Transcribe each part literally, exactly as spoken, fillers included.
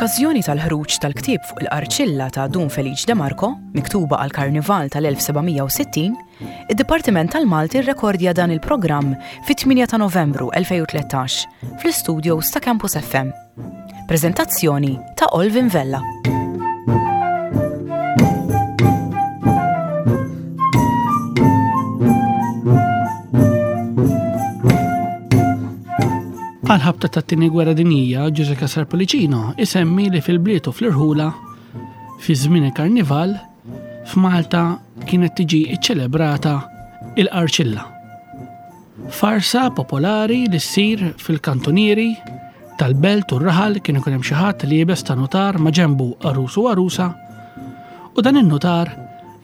Fl-okkażjoni tal-ħruġ tal-ktieb fuq il-Qarċilla ta' Dun Felice De Marco, miktuba għal Karnival tal-elf seba' mija u sittin, id-Dipartiment tal-Malti rrekordja dan il-programm fit-tmienja ta' Novembru elfejn u tlettax fl-istudios ta' Campus F M. Preżentazzjoni ta' Olvin Vella. Għal-ħabta tat-tieni gwerra dinjija, Ġużè Cassar Pullicino isemmi li fil-bliet u fl-irħula fi żmien il-karnival f'Malta kienet tiġi ċċelebrata il-Qarċilla. Farsa popolari li ssir fil-kantunieri tal-belt u r-raħal. Kien ikun hemm xi ħadd li jibes ta' notar, ma' ġenbu għarus u għarusa, u dan in-notar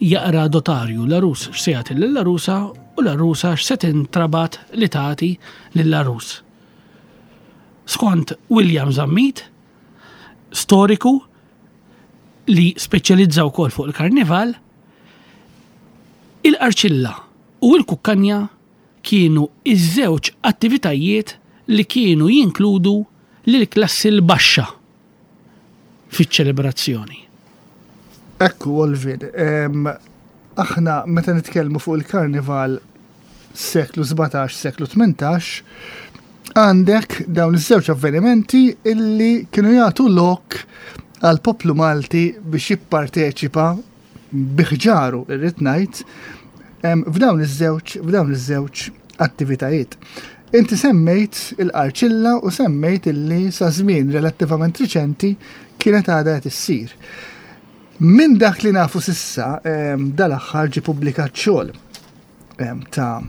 jaqra dotarju, l-għarus x'se jagħti lill-għarusa u l-għarusa x'se tintrabat li tagħti lill-għarus. Skont William Zammit, storiku li speċjalizza wkoll fuq il-karnival, il-Qarċilla u l-Kukkanja kienu iż-żewġ attivitajiet li kienu jinkludu lill-klassi l-baxxa fiċ-ċelebrazzjoni. Ekku, Olvin, em, aħna meta nitkellmu fuq il-karnival seklu sbatax, seklu tmintax, għandek dawn iż-żewġ avvenimenti illi kienu jagħtu lok għal poplu Malti biex jipparteċipa biħġaru, irrid ngħid, em, f'dawn iż-żewġ, f'dawn iż-żewġ attivitajiet. Inti semmejt il-Qarċilla u semmejt illi sa żmien relattivament riċenti kienet għadha qed issir. Minn dak li nafu sissa, em, dal-aħħar ġie pubblikat xogħol, em, ta',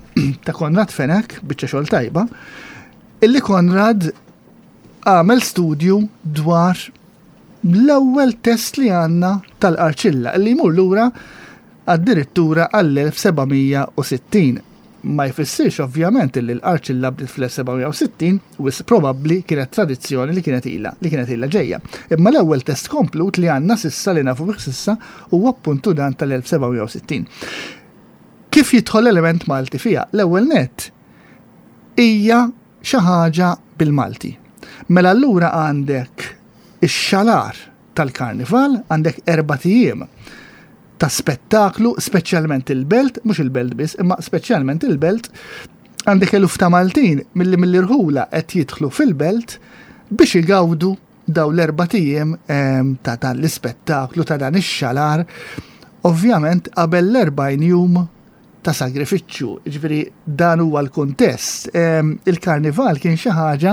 ta' Konrad Fenech, biċċa xogħol tajba, illi Konrad għamel studju dwar l-ewwel test li għandna tal-Qarċilla, illi jmur lura addirittura għall-elf seba' mija u sittin. Ma jfissirx ovvjament illi l-Qarċilla bdiet fl-elf seba' mija u sittin, wisq probabbli kienet tradizzjoni li kienet ilha, li kienet ilha ġejja. Imma l-ewwel test komplut li għandna sissa, li nafu bih sissa, huwa appuntu dan tal-elf seba' mija u sittin. Kif jidħol element Malti fiha? L-ewwel nett hija xi ħaġa bil-Malti. Mela allura għandek ix-xalar tal-karnival, għandek erbat ijiem ta' spettaklu, speċjalment il-belt, mhux il-belt biss, imma speċjalment il-belt, għandek eluf ta' Maltin milli mill-irħula qed jidħlu fil-belt biex igawdu daw l-erbat ijiem, ehm, ta' dan l-ispettaklu, ta' dan ix-xalar, ovvjament qabel l-erbgħin jum ta' sagrifiċċju. Ġifieri dan huwa l-kuntest. Ehm, il-karnival kien xi ħaġa,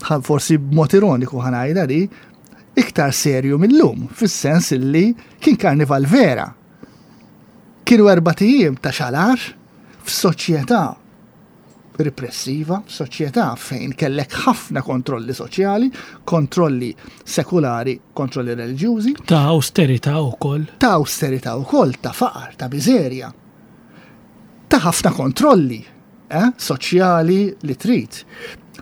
ħa-, forsi b'mod ironiku ħa ngħidha di, iktar serju mill-lum, fis-sens illi kien karnival vera. Kienu erbat ijiem ta' xalar f'soċjetà repressiva, f'soċjetà fejn kellek ħafna kontrolli soċjali, kontrolli sekulari, kontrolli reliġjużi. Ta' austerità wkoll. Ta' austerità wkoll, ta' faqar, ta' miżerja. Ta' ħafna kontrolli, eh, soċjali li trid.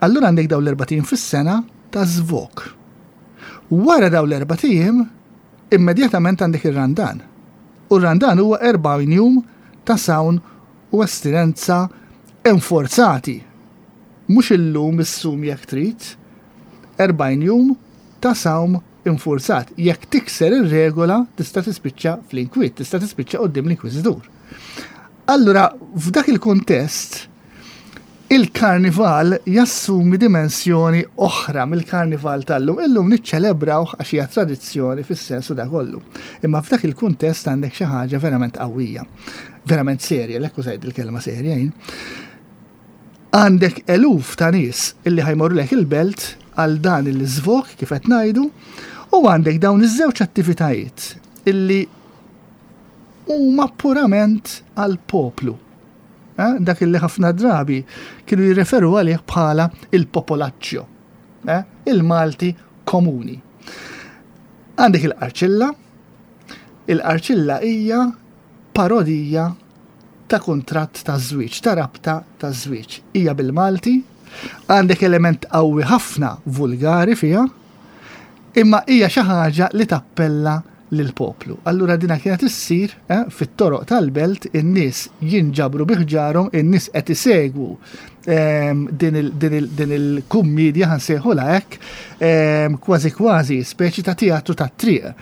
Allura għandek dawn l-erbat ijiem fis-sena ta' żvok. Wara dawn l-erbat ijiem, immedjatament għandek ir-Randan. U r-Randan huwa erbgħin jum ta' sawn u astinenza enforzati. Mhux illum issum jekk trid, erbgħin jum ta' sawm infurzat. Jekk tikser ir-regola tista' tispiċċa fl-inkwiet, tista' tispiċċa quddiem l-inkwiżitur. Allura, f'dak il-kuntest, il-karnival jassumi dimensjoni oħra mill-karnival tal-lum. Illum niċċelebrawh għax hija tradizzjoni fis-sensu da kollu. Imma f'dak il-kuntest għandek xi ħaġa verament qawwija, verament serja, l-ekku użajt il-kelma serja jien. Għandek eluf ta' nies illi ħa jmorru lek il-belt għal dan il-żvok kif qed ngħidu, u għandek dawn iż-żewġ attivitajiet illi huma purament għal poplu. Eh, dak illi ħafna drabi kienu jirreferu għalih bħala il-popolaccio, eh, il-Malti komuni. Għandek il-Qarċilla. Il-Qarċilla hija parodija ta' kuntratt ta' żwieġ, ta' rabta ta' żwieġ. Hija bil-Malti, għandek element qawwi ħafna vulgari fiha, imma hija xi ħaġa li tappella lill-poplu. Allura dina kienet issir, eh, fit-toroq tal-belt, in-nies jinġabru biħġarhom, in-nies qed isegwu em, din il- din il- din il-kummedja, ħa nsejħulha hekk, em, kważi kważi speċi ta' teatru ta' triq.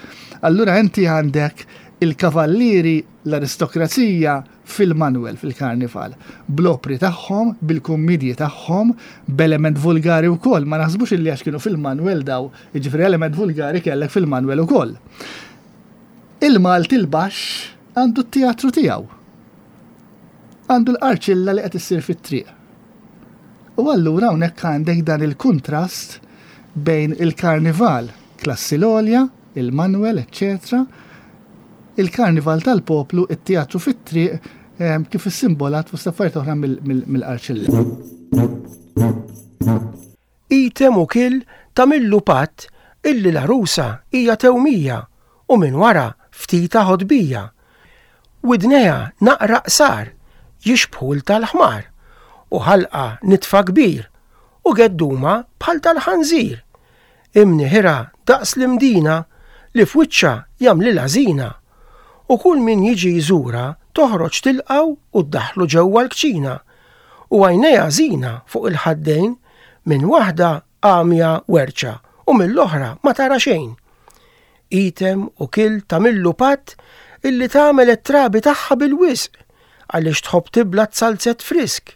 Allura inti għandek il-kavallieri, l-aristokrazija fil-Manwel, fil-karnival, bl-opri tagħhom, bil-kummedji tagħhom, b'element vulgari wkoll, ma naħsbux illi għax kienu fil-Manwel daw, jiġifieri element vulgari kellek fil-Manwel ukoll. Il-Malti l-baxx għandu t-teatru tiegħu. Għandu l-qarċilla li qed issir fit-triq. U allura hawnhekk għandek dan il-kuntrast bejn il-karnival, klassi l-għolja, il-Manwel, eccetera, il-karnival tal-poplu, it-teatru fit-triq, em, kif issimbolat fost affarijiet oħra mill- mill- mill-qarċilla. Item u kil tagħmillu patt illi l-għarusa hija tewmija u minn wara ftita ħodbija. Widnejha naqra qsar jixbħu 'l tal-ħmar u ħalqa nitfa kbir u gedduma bħal tal-ħanżir. Imniħira daqs l-imdina li f'wiċċha jagħmlilha żina. U kull min jiġi jżura toħroġ tilqgħu u ddaħlu ġewwa l-kċina. U għajnejha żina fuq il-ħaddejn, minn waħda għamja werċa u mill-oħra ma tara xejn. Item u kil tagħmillu patt illi tagħmel it-trabi tagħha bil-wisq għaliex tħobb tibla zalzett frisk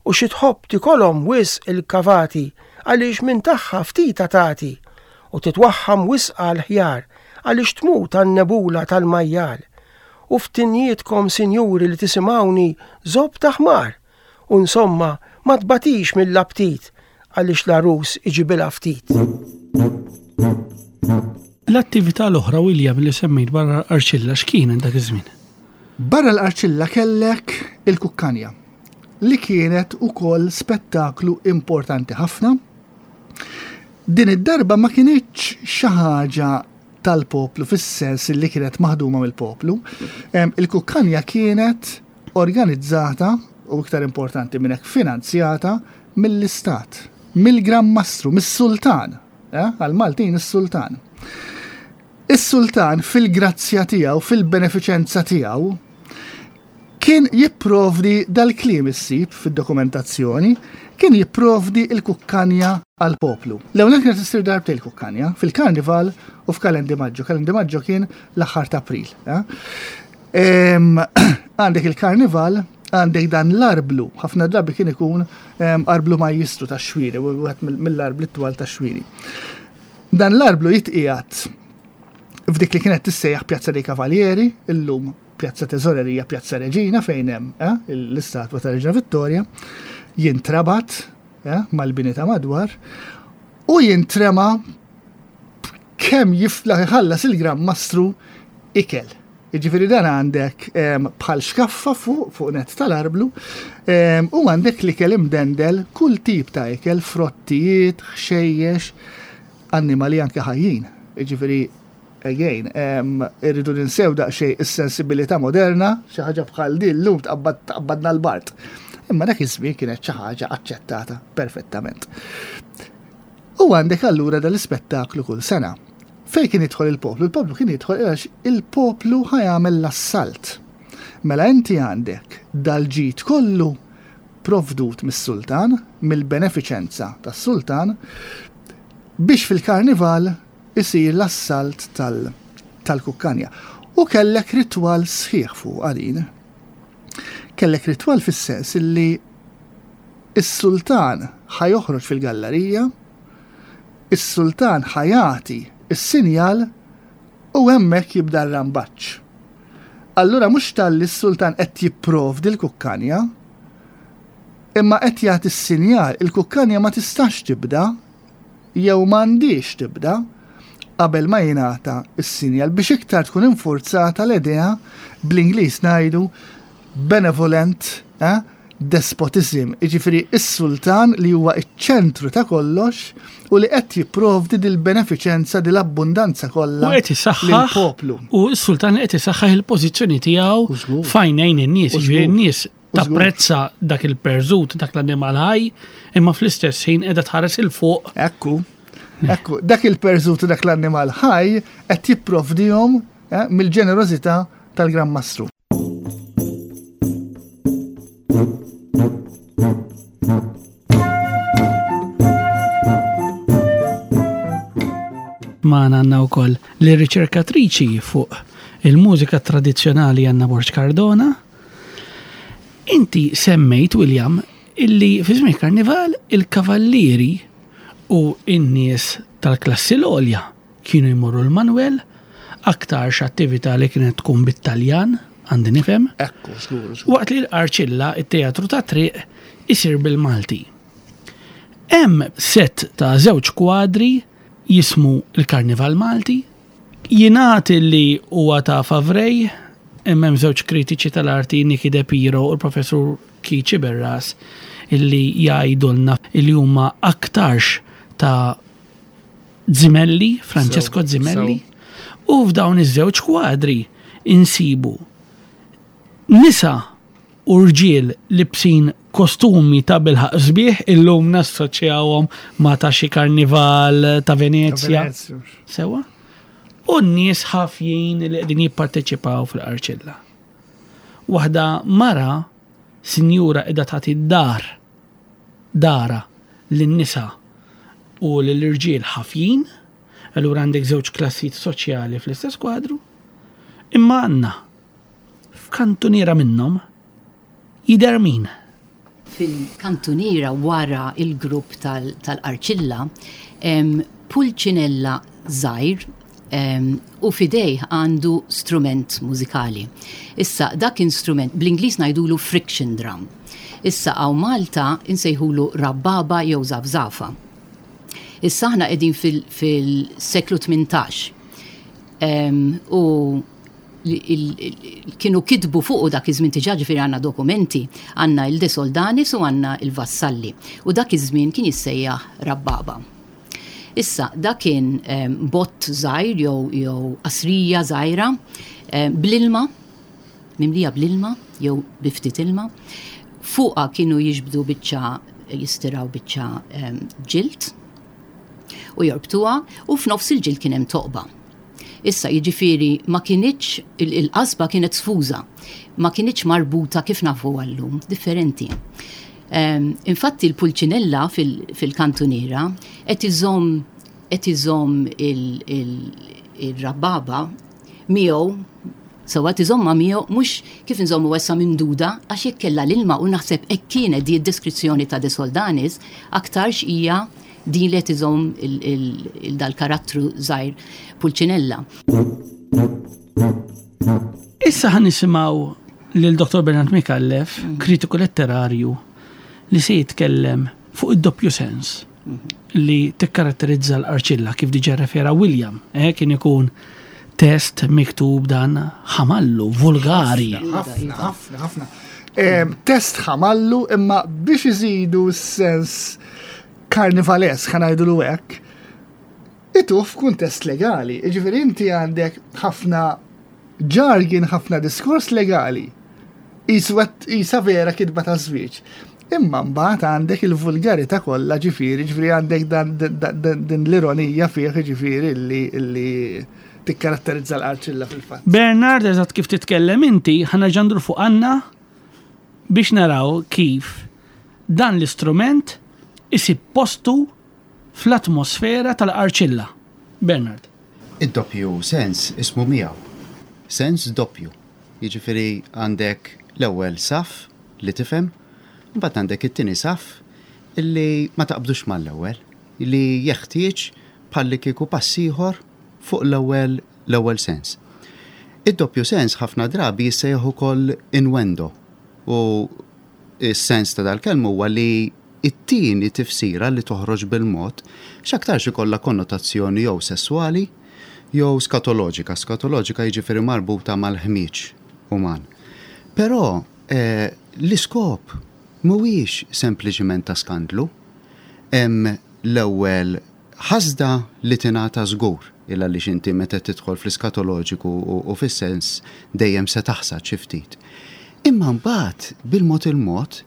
u xi tħobb tikolhom wisq il-kavati għaliex minn tagħha ftita tagħti u titwaħħam wisq għal-ħjar għaliex tmut għan-nebula tal-majjal. U ftinjietkom, sinjuri li tisimgħuni, zobb ta' ħmar u insomma ma tbatix mill-aptit għaliex l-għarus iġibilha ftit. L-attività l-oħra, William, li semmejt barra l-Qarċilla, x'kienet dak iż-żmien? Barra l-Qarċilla kellek il-Kukkanja, li kienet ukoll spettaklu importanti ħafna. Din id-darba ma kinitx xi ħaġa tal-poplu fis-sens li kienet maħduma mill-poplu. Em, Il-Kukkanja kienet organizzata u, iktar importanti minn hekk, finanzjata mill-Istat, mill-Gran Mastru, mis-Sultan, eh? Għal-Maltin is-Sultan. Is-Sultan fil-grazzja tiegħu, fil-benefiċenza tiegħu, kien jipprovdi, dal-kliem issib fid-dokumentazzjoni, kien jipprovdi il-kukkanja għal-poplu. L-ewwel kienet issir darbtejn il-kukkanja, fil-karnival u f'Kalendi Maġġo. Kalendi Maġġo kien l-aħħar ta' April. eh? Em, Għandek il-karnival, għandek dan l-arblu, ħafna drabi kien ikun em, arblu majjistru ta' xwiri, u wieħed mill-arbli twal ta' xwiri. Dan l-arblu jitqiegħed f'dik li kienet tissejjaħ Pjazza dei Cavalieri, illum Pjazza Teżorerija, Pjazza Reġina, fejn hemm eh, l-istatwa ta' Reġina Vittoria, jintrabat eh, mal-bini ta' madwar u jintrema kemm jiflaħ iħallas il-Gran Mastru ikel. Jiġifieri dan għandek em, bħal xkaffa fuq fuq net tal-arblu em, u għandek l-ikel imdendel, kull tip ta' ikel, frottijiet, ħxejjex, annimali anke ħajjin. Jiġifieri again, em, irridu ninsew daqsxejn is-sensibilità moderna, xi ħaġa bħal din llum tqabbad tqabbadna l-bart. Imma dak iż-żmien kienet xi ħaġa aċċettata perfettament. U għandek allura dal-ispettaklu kull sena. Fej kien jidħol il-poplu? Il-poplu kien jidħol għax il-poplu ħa jagħmel l-assalt. Mela inti għandek dal-ġid kollu provdut mis-sultan, mill-benefiċenza tas-sultan, biex fil-karnival isir l-assalt tal- tal-kukkanja. U kellek ritwal sħiħ fuq għalin. Kellek ritwal fis-sens illi is-sultan ħa joħroġ fil-gallerija, is-sultan ħa jagħti is-sinjal u hemmhekk jibda r-rambaċ. Allura mhux talli s-sultan qed jipprovdi l-kukkanja, imma qed jagħti s-sinjal, il-kukkanja ma tistax tibda jew m'għandix tibda qabel ma jingħata s-sinjal, biex iktar tkun infurzata l-idea, bl-Ingliż ngħidu benevolent eh, despotism, jiġifieri is-sultan li huwa iċ-ċentru ta' kollox u li qed jipprovdi dil-benefiċenza, dil-abbundanza kollha U qed isaħħaħ lill-poplu. U s-sultan qed isaħħaħ il-pożizzjoni tiegħu U żgur. f'għajnejn in-nies, U jiġifieri żgur. n-nies U żgur. tapprezza dak il-perżut, dak l-annimal ħaj, imma fl-istess ħin qiegħda tħares 'il fuq. Ekku, ekku, dak il-perżut u dak l-annimal ħaj qed jipprovdihom eh, mill-ġenerożità tal-Gran Mastru. magħna għandna wkoll l-riċerkatriċi fuq il-mużika tradizzjonali Anna Borg Cardona. Inti semmejt, William, illi fi żmien karnival il-kavallieri u n-nies tal-klassi l-għolja kienu jmorru l-Manuel, aktarx attività li kienet tkun bit-Taljan, għandi nifhem. Ekku, żgur, żgur. Waqt li l-Qarċilla, it-teatru ta' triq, isir bil-Malti. Hemm set ta' żewġ kwadri jismu il-Karnival Malti, jingħad li huwa ta' Favrej, hemm hemm żewġ kritiċi tal-arti, Niki De Piro u l-professur Kici Berras, illi jgħidulna illi huma aktarx ta' Zimelli, Francesco Sew, Zimelli, u f'dawn iż-żewġ kwadri insibu nisa u rġiel libsin kostumi ta' bilħaq sbieħ, illum nassoċjawhom ma' ta' xi karnival ta' Venezja. Venezia. Sewa? U n-nies ħafjin li qegħdin jipparteċipaw fil-Qarċilla. Waħda mara, sinjura, qiegħda tagħti dar dara lin-nisa u lill-irġiel ħafjin, allura għandek żewġ klassijiet soċjali fl-istess kwadru, imma għandna f'kantuniera minnhom jidher min? Fil-kantuniera wara il-grupp tal- tal-Qarċilla, em, Pulcinella żgħir em, u f'idejh għandu strument mużikali. Issa, dak instrument, bl-Ingliż ngħidulu friction drum. Issa, hawn Malta insejħulu rabbaba jew zafzafa. Issa aħna qegħdin fil- fil-seklu tmintax. Em, u li- il- il- kienu kitbu fuqu dak iż-żmien diġà, ġifieri għandna dokumenti, għandna il-De Soldanis u għandna il-Vassalli. U dak iż-żmien kien jissejjaħ rabbaba. Issa, dak kien em, bott żgħir jew jew qasrija żgħira em, bl-ilma, mimlija bl-ilma jew bi ftit ilma. Fuqha kienu jiġbdu biċċa, jistiraw biċċa em, ġild u jorbtuha, u f'nofs il-ġild kien hemm toqba. Issa, jiġifieri ma kinitx il- il-qasba kienet sfuża, ma kinitx marbuta kif nafu għallum, differenti. Um, infatti il-Pulcinella fil- fil-kantuniera qed iżomm qed iżomm il- il- il-rabbaba miegħu, sewwa, iżommha miegħu, mhux kif inżommu issa mimduda, għax jekk kellha l-ilma, u naħseb hekk kienet di d-deskrizzjoni ta' De Soldanis, aktarx hija din li qed iżomm il- il- il- dal-karattru żgħir Pulcinella. Issa ħa nisimgħu lil Dottor Bernard Micallef, kritiku letterarju, li se jitkellem fuq id-doppju sens li tikkaratterizza l-Qarċilla, kif diġà refera William, eh, kien ikun test miktub dan ħamallu, vulgari. Ħafna, ħafna, ħafna. Em, Test ħamallu, imma biex iżidu s-sens karnivalesk, ħa ngħidulu hekk, ituh f'kuntest legali. Ġifieri inti għandek ħafna jargon, ħafna diskors legali. Iswet isa vera kitba ta' żwieġ. Imma mbagħad għandek il-vulgarità kollha, ġifieri, ġifieri għandek dan dan- dan- din l-ironija fih, ġifieri illi illi tikkaratterizza l-Qarċilla fil-fatt. Bernard, eżatt kif titkellem inti, ħa nerġa' ndur fuq Anna biex naraw kif dan l-istrument isib postu fl-atmosfera tal-Qarċilla. Bernard. Id-doppju sens ismu miegħu. Sens doppju. Jiġifieri għandek l-ewwel saf li tifhem, mbagħad għandek it-tieni saf illi ma taqbdux mal-ewwel, li jeħtieġ bħalli kieku pass ieħor fuq l-ewwel l-ewwel sens. Id-doppju sens ħafna drabi jissejjaħ ukoll innuendo, u s-sens ta' dal-kelma huwa li it-tieni tifsira li toħroġ bil-mod x'aktarx ikollha konnotazzjoni jew sessuali jew skatoloġika. Skatoloġika jiġifieri marbuta mal-ħmieġ uman. Però eh, l-iskop mhuwiex sempliċiment ta' skandlu. Hemm l-ewwel ħasda li tingħata żgur, illa li xinti meta tidħol fl-iskatoloġiku u, u fis-sens dejjem se taħsad xi ftit. Imma mbagħad bil-mod il-mod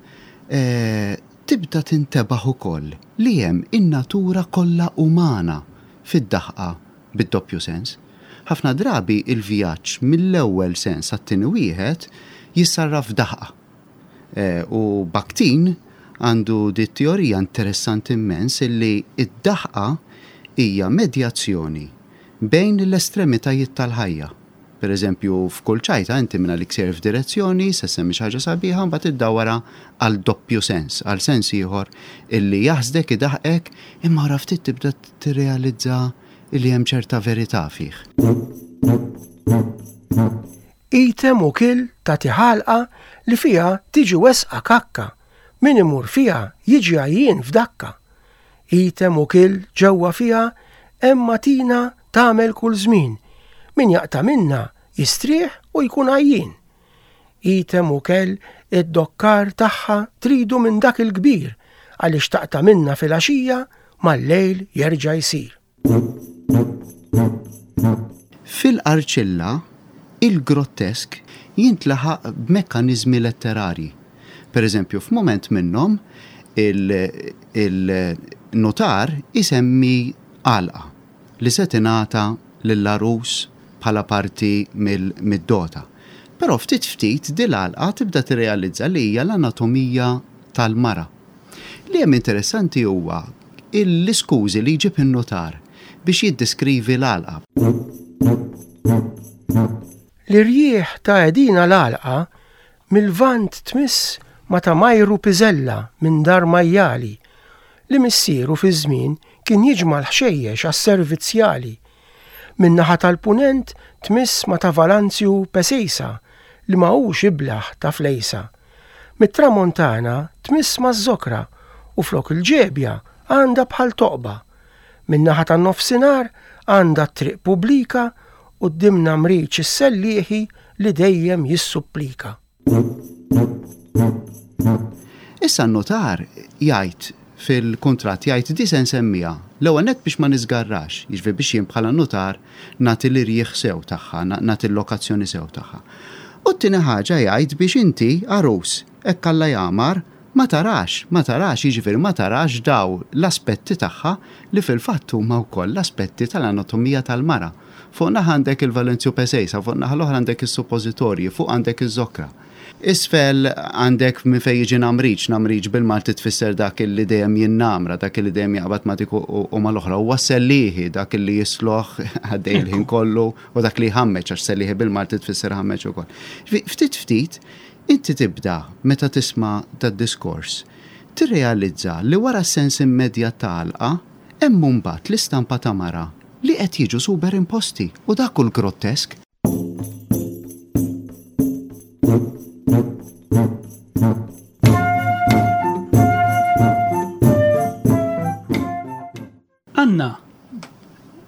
eh, tibda tintebaħ ukoll li hemm in-natura kollha umana fid-daħqa bid-doppju sens. Ħafna drabi il-vjaġġ mill-ewwel sens għat-tieni wieħed jissarraf daħqa. Eh, u Bakhtin għandu di teorija interessanti immens illi id-daħqa hija medjazzjoni bejn l-estremitajiet tal-ħajja. Per eżempju, f'kull ċajta inti minna li ksir f'direzzjoni, se semmi xi ħaġa sabiħa, mbagħad iddawara għal doppju sens, għal sens ieħor illi jaħsdek idaħqek, imma wara ftit tibda tirrealizza illi hemm ċerta verità fih. Item u kil tagħti ħalqa li fiha tiġi wesqa kakka, min imur fiha jiġi għajjien f'dakka. Item u kil ġewwa fiha hemm matina tagħmel kull żmien, min jaqta' minna jistrieħ u jkun għajjien. Item u kell id-dokkar tagħha tridu minn dak il-kbir għaliex taqta' minna fil-għaxija mal-lejl jerġa' jsir. Fil-Qarċilla, il-grottesk jintlaħaq b'mekkaniżmi letterarji. Per eżempju, f'mument minnhom il-notar isemmi għalqa li se tingħata lill-għarus bħala parti mid-dota. Però ftit ftit din l-għalqa tibda tirrealizza li hija l-anatomija tal-mara. Li hemm interessanti huwa l-iskużi li jġib in-notar biex jiddeskrivi l-għalqa. L-irjieħ ta' edina l-għalqa mill-vant tmiss ma ta' Majru Piżella minn dar Majjali li missieru fi żmien kien jiġma' l-ħxejjex għas-servizzjali. Min-naħa tal-punent tmiss ma ta' Valanzju Pesejsa li ma hux iblaħ ta' flejsa. Mit-tramontana tmiss ma' żokra u flok il-ġebja għandha bħal toqba. Min-naħa tan-nofsinhar għandha t-triq pubblika u d-dimna mriċ is-sellieħi li dejjem jissupplika. Issa n-notar jgħid fil-kuntratt jgħid di se nsemmiha l-ewwel nett biex ma niżgarrax, jiġifieri biex jien bħala notar nagħti l-irjieħ sew tagħha, nagħti l-lokazzjoni sew tagħha. U t-tieni ħaġa jgħid biex inti għarus hekk Alla jagħmar ma tarax, ma tarax, jiġifieri ma tarax daw l-aspetti tagħha li fil-fatt huma wkoll l-aspetti tal-anatomija tal-mara. Fuq naħa għandek il-Valenzju Pesejsa, fuq naħa l-oħra għandek is-suppożitorji, fuq għandek iż-żokra. Isfel għandek minn fejn jiġi namriċ, namriċ bil-Malti tfisser dak li dejjem jinnamra, dak li dejjem jaqbad ma dik u mal-oħra, huwa sellieħi dak li jisloħ għaddej il-ħin kollu u dak li jħammeġ, għax sellieħi bil-Malti tfisser ħammeġ ukoll. Ftit ftit, inti tibda meta tisma' dad-diskors, tirrealizza li wara s-sens immedjat ta' għalqa hemm mbagħad l-istampa ta' mara li qed jiġu superimposti u dak hu l-grottesk. Anna,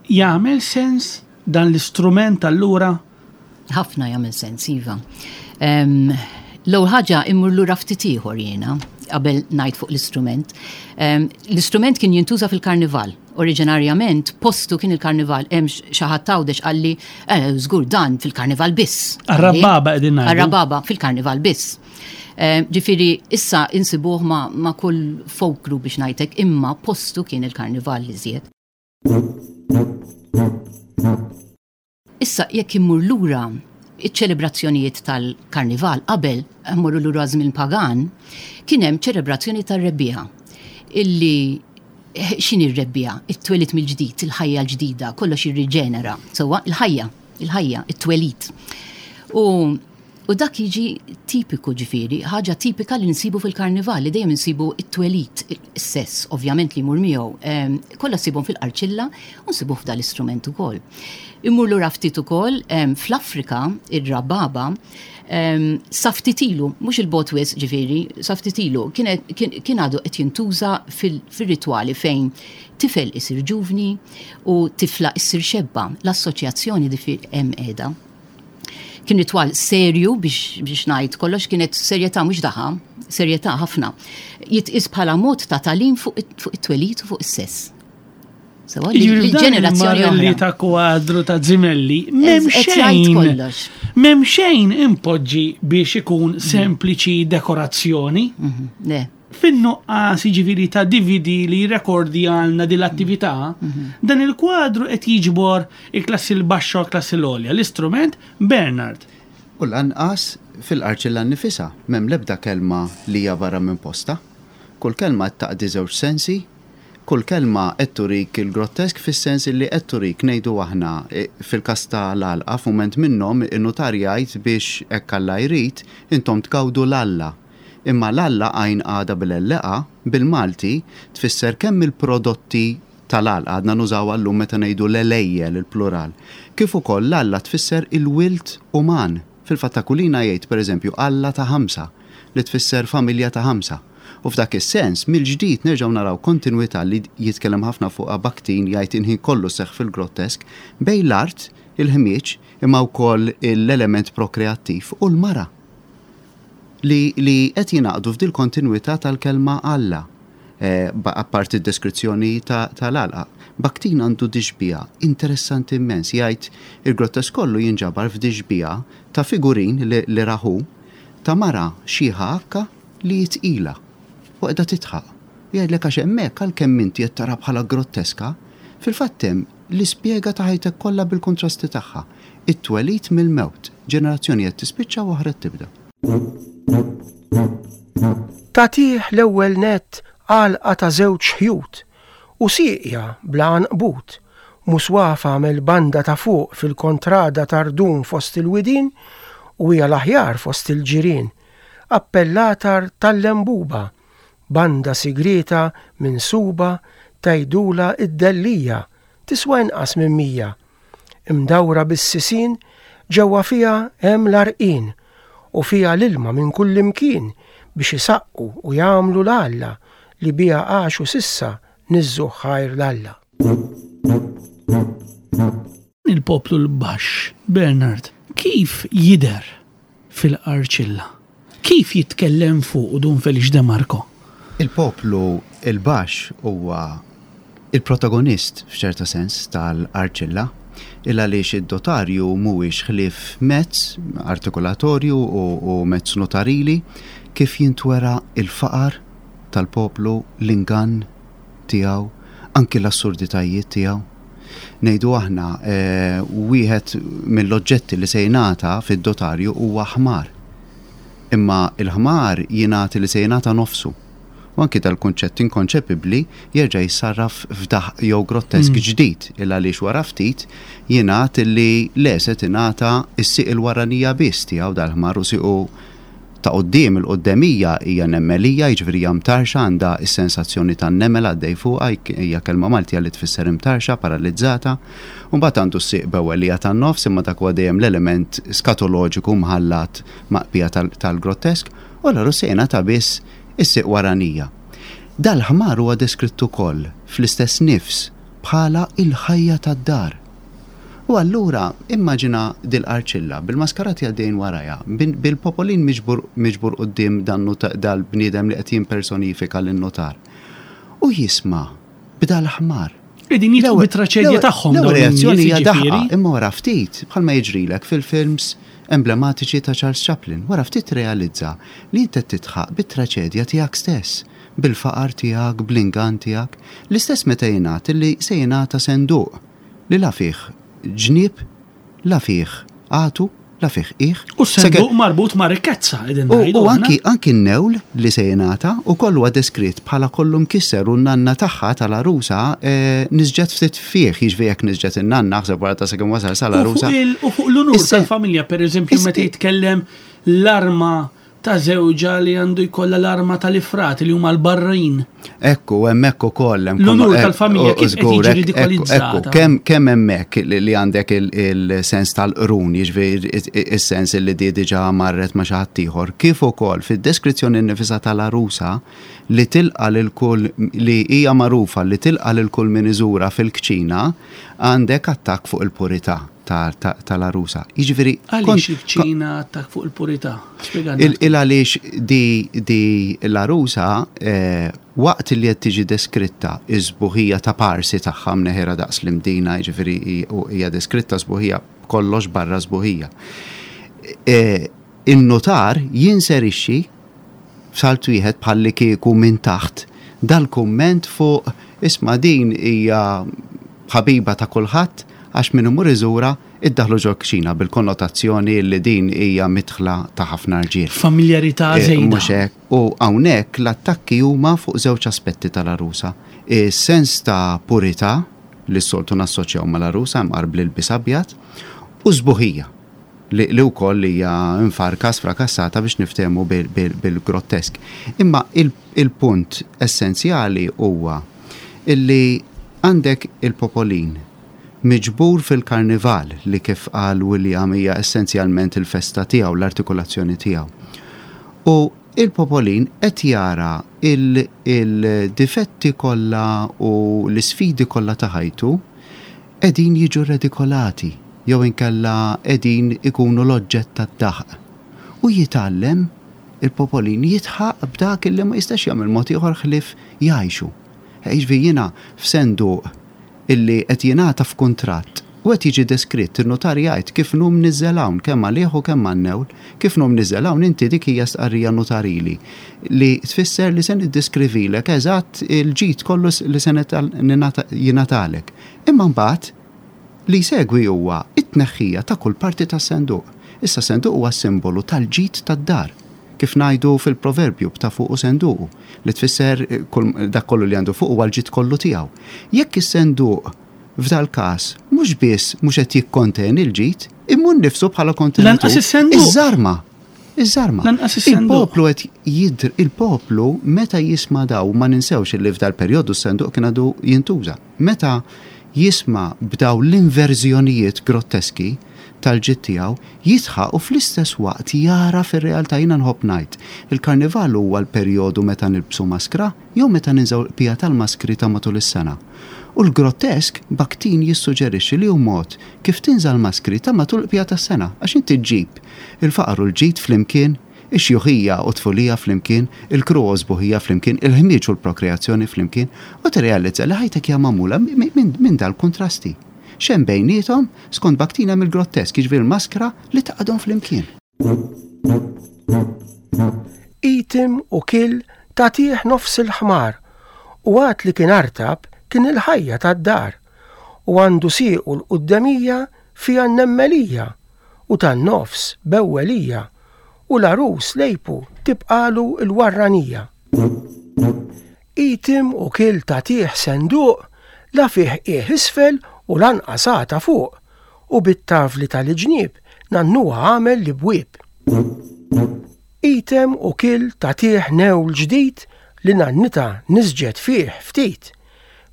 jagħmel sens dan l-istrument allura? Ħafna jagħmel sens, iva. L-ewwel ħaġa immur lura ftit ieħor jiena qabel ngħid fuq l-istrument. L-istrument kien jintuża fil-karnival. Oriġinarjament postu kien il-karnival, hemm xi ħadd Għawdex qalli, żgur dan fil-karnival biss. Arrababa qegħdin ngħidu. Arrababa fil-karnival biss. Ġifieri issa insibuh ma, ma kull folk group biex ngħidlek, imma postu kien il-karnival li żjed. Issa jekk immur lura iċ-ċelebrazzjonijiet tal-karnival qabel immorru lura żmien pagan, kien hemm ċelebrazzjoni tar-rebbiegħa illi x'inhi r-rebbiegħa? It-twelid mill-ġdid, il-ħajja l-ġdida, kollox jirriġenera. Sewwa, il-ħajja, il-ħajja, it-twelid. U, u dak jiġi tipiku ġifieri, ħaġa tipika li nsibu fil-karnival, li dejjem nsibu it-twelid, is-sess, ovvjament li jmur miegħu, kollha nsibhom fil-qarċilla u nsibuh f'dan l-istrument ukoll. Immur lura ftit ukoll, fl-Afrika, ir-rababa, sa ftit ilu, mhux il-bot wisq ġifieri, sa ftit ilu, kien għadu qed jintuża fil-ritwali fejn tifel isir ġuvni u tifla issir xebba, l-assoċjazzjoni di hemm qiegħda. Kien ritwal serju biex, biex ngħid kollox, kienet serjetà mhux daħa, serjetà ħafna. Jitqis bħala mod ta' tagħlim fuq it-twelid u fuq is-sess. Sewa, Jiġifieri f'dan l-ġenerazzjoni il-marelli oħra. ta' kwadru ta' Zimelli, m'hemm Qed jgħid xejn. kollox. M'hemm xejn impoġġi biex ikun sempliċi dekorazzjoni. Mhm, le. Fin-nuqqas jiġifieri ta' D V D li jirrekordja għalna din l-attività, dan il-kwadru qed jiġbor il-klassi l-baxxa u l-klassi l-għolja, l-istrument Bernard. U lanqas fil-qarċilla nnifisha, m'hemm l-ebda kelma li hija barra minn posta. Kull kelma taqdi żewġ sensi, Kull kelma qed turik il-grottesk fis-sens li qed turik, ngħidu aħna, e, fil-każ tal-għalqa, f'mument minnhom in-nutar jgħid biex hekk Alla jrid intom tgawdu l-Alla. Imma l-Alla għajn għada bil-elleqa bil-Malti tfisser kemm il-prodotti tal-għalqa għadna nużaw għallum meta ngħidu l-għelejjel il-plural. Kif ukoll l-Alla tfisser il-wilt uman. Fil-fatt Aquilina jgħid, pereżempju, Alla ta' ħamsa, li tfisser familja ta' ħamsa. U f'dak is-sens, mill-ġdid nerġgħu naraw kontinwità li jitkellem ħafna fuq Bakhtin, jgħid inħin kollu seħħ fil-grottesk bejn l-art, il-ħmieġ, imma wkoll l-element prokreattiv u l-mara. Li, li qed jingħaqdu f'dil kontinwità tal-kelma Alla, eh, apparti d-deskrizzjoni tal-għalqa. Bakhtin għandu dixbija interessanti immens, jgħid il-grottesk kollu jinġabar f'dixbija ta' figurin li, li raħu ta' mara xieħa akka li jitqila u qiegħda titħaq. Jgħidlek għax hemmhekk għalkemm inti qed tara bħala grotteska, fil-fatt hemm l-ispjega ta' ħajtek kollha bil-kontrasti tagħha. It-twelid mill-mewt, ġenerazzjoni qed tispiċċa u oħra tibda. Tatih l-ewwel net għalqa ta' żewġ ħjut u sieqja bla għanqbut, muswafa mill-banda ta' fuq fil-kontrada tardun fost il-widin u hija l-aħjar fost il-ġirien, appellatar tal-lembuba, banda sigrita minn suba tajdula id-dellija, tiswa inqas minn mija. Imdawra bis-sisin, ġewwa fiha hemm l-arqin u fiha l-ilma minn kull imkien biex isaqqu u jagħmlu l-Alla li biha għaxu sissa niżżu ħajr l-Alla. Il-poplu l-baxx, Bernard, kif jidher fil-Qarċilla? Kif jitkellem fuq Dun Feliċ De Marco? Il-poplu il-baxx huwa il-protagonist f'ċerta sens tal-Qarċilla, il għaliex id-dotarju mhuwiex ħlief mezz artikolatorju u, u mezz notarili kif jintwera il-faqar tal-poplu, l-ingann tiegħu, anki l-assurditajiet tiegħu. Ngħidu aħna, eh, wieħed mill-oġġetti li se jingħata fid-dotarju huwa ħmar. Imma il-ħmar jingħati li se jingħata nofsu. U anki dal-kunċett inkonċepibbli jerġa' jissarraf f'daħq jew grottesk mm. ġdid, il għaliex wara ftit jingħad li le se tingħata s-sieq il-waranija biss tiegħu dal-ħmar u siequ ta' quddiem il-quddemija hija nemmelija, jiġifieri hija mtarxa, għandha s-sensazzjoni tan-nemel għaddej fuqha, hija kelma Maltija li tfisser imtarxa, paralizzata. U mbagħad għandu s-sieq bewwelija tan-nofs, imma dak huwa dejjem l-element skatoloġiku mħallat maqbija tal-grottesk, u allura se jingħata biss is-sieq waranija. Dal-ħmar huwa deskritt ukoll fl-istess nifs bħala il-ħajja tad-dar. U allura immaġina dil-Qarċilla bil-maskarati għaddejn warajha, bil-popolin miġbur quddiem dal-bniedem li qed jimpersonifika lin-notar. U jisma' b'dal-ħmar. Qegħdin jitqu bit-traċedja tagħhom. L-ewwel reazzjoni hija daħqa, imma wara ftit, bħalma jiġrilek fil-films emblematiċi ta' Charles Chaplin, wara ftit realizza li inti qed titħaq bit-traċedja tiegħek stess, bil-faqar tiegħek, bl-ingann tiegħek, l-istess meta jingħad li se jingħata senduq li la fih ġnieb, la fih għatu, la fih qiegħ. U s-senduq marbut ma' rikkezza, qegħdin ngħidu. U anki, anki n-newl li se jingħata u kollu huwa deskritt bħala kollu mkisser u n-nanna tagħha tal-arusa eh, nisġet ftit fih, jiġifieri jekk nisġet in-nanna, aħseb wara ta' sakemm wasal sal-arusa. U fuq l-unur tal-familja, pereżempju, meta jitkellem l-arma ta' żewġa li għandu jkollha l-arma tal-ifrat li huma l-barrin. Ekku, hemmhekk ukoll hemm l-unur tal-familja kif qed jiġi ridikolizzata. Kemm kemm hemmhekk li għandek il-sens tal-qrun, jiġifieri is-sens li di diġà marret ma' xi ħadd ieħor, kif ukoll fid-deskrizzjoni nnifisha tal-arusa li tilqa' lil kull li hija magħrufa li tilqa' lil kull min iżura fil-kċina, għandek attakk fuq il-purità tal-arusa. Jiġifieri għaliex il-kċina attakk fuq il-purità? Spjegana. Il għaliex di, di l-arusa eh, waqt li qed tiġi deskritta iż-sbuħija ta' parsi tagħha mneħira daqs l-imdina, jiġifieri hija deskritta sbuħija kollox barra sbuħija. Eh, in-notar jinserixxi f'salt wieħed bħalli kieku minn taħt dal-kumment fuq isma' din hija ħabiba ta' kulħadd għax min imur iżura Iddaħlu ġo kċina bil-konnotazzjoni li din hija midħla ta' ħafna rġiel. Familjarità Eh, żejda. Mhux hekk. U hawnhekk l-attakki huma fuq żewġ aspetti tal-arusa. Is-sens ta' purità li s-soltu nassoċjaw mal-arusa mqar bl-ilbies abjad u sbuħija li, li wkoll hija infarka sfrakassata biex niftehmu bil- bil- bil-grottesk. Imma il- il-punt essenzjali huwa illi għandek il-popolin miġbur fil-karnival li kif qal William hija essenzjalment il-festa tiegħu, l-artikolazzjoni tiegħu. U il-popolin qed jara il- il-difetti kollha u l-isfidi kollha ta' ħajtu qegħdin jiġu redikolati jew inkella qegħdin ikunu l-oġġett tad-daħq. U jitgħallem il-popolin jidħaq b'dak illi ma jistax jagħmel mod ieħor ħlief jgħixu. Jiġifieri jiena f'senduq illi qed jingħata f'kuntratt u qed jiġi deskritt in-notar jgħid kif inhu mniżżel hawn kemm għalih u kemm għan-newl, kif inhu mniżżel hawn inti dik hija stqarrija notarili li tfisser li se niddeskrivilek eżatt il-ġid kollu li se jingħatalek. Imma mbagħad li jsegwi huwa it-tneħħija ta' kull parti tas-senduq. Issa senduq huwa simbolu tal-ġid tad-dar. Kif ngħidu fil-proverbju b'ta' fuq u senduqu, li tfisser eh, kull- dak kollu li għandu fuq huwa l-ġid kollu tiegħu. Jekk is-senduq f'dal każ mhux biss mhux qed jikkonteni l-ġid, imma nnifsu bħala kontenitur. Lanqas is-senduq. Iż-żarma. Iż-żarma. Lanqas is-senduq. Il-poplu qed jidr, il-poplu meta jisma' daw ma ninsewx li f'dal perjodu s-senduq kien għadu jintuża. Meta jisma' b'daw l-inverżjonijiet grotteski tal-ġid tiegħu, jidħaq u fl-istess waqt jara fir-realtà. Jiena nħobb ngħid. Il-karnival huwa l-perjodu meta nilbsu maskra jew meta ninżgħu l-qbija tal-maskri ta' matul is-sena. U l-grottesk Bakhtin jissuġġerixxi li hu mod kif tinża' l-maskri ta' matul l-qbija tas-sena, għax inti ġġib il-faqar u l-ġid flimkien, ix-xjuħija u tfulija flimkien, il-kruha u sbuħija flimkien, il-ħmieġ u l-prokreazzjoni flimkien, u tirrealizza li ħajtek hija magħmula minn min, min dal-kontrasti. X'hemm bejniethom skont Bakhtin hemm il-grottesk, jiġifieri l-maskra li taqadhom flimkien. Itim u kil tagħtih nofs il-ħmar u għat li kien artab kien il-ħajja tad-dar u għandu siequ l-quddemija fija n-nemmelija u tan-nofs bewwelija u l-arus lejpu tibqalu l-warranija. Itim u kil tagħtih senduq la fih qiegħ isfel u lanqas għata fuq u bit-tavli tal-ġnieb nannuha għamel li bwieb. Item u kil tagħtih newl ġdid li nannita nisġet fih ftit.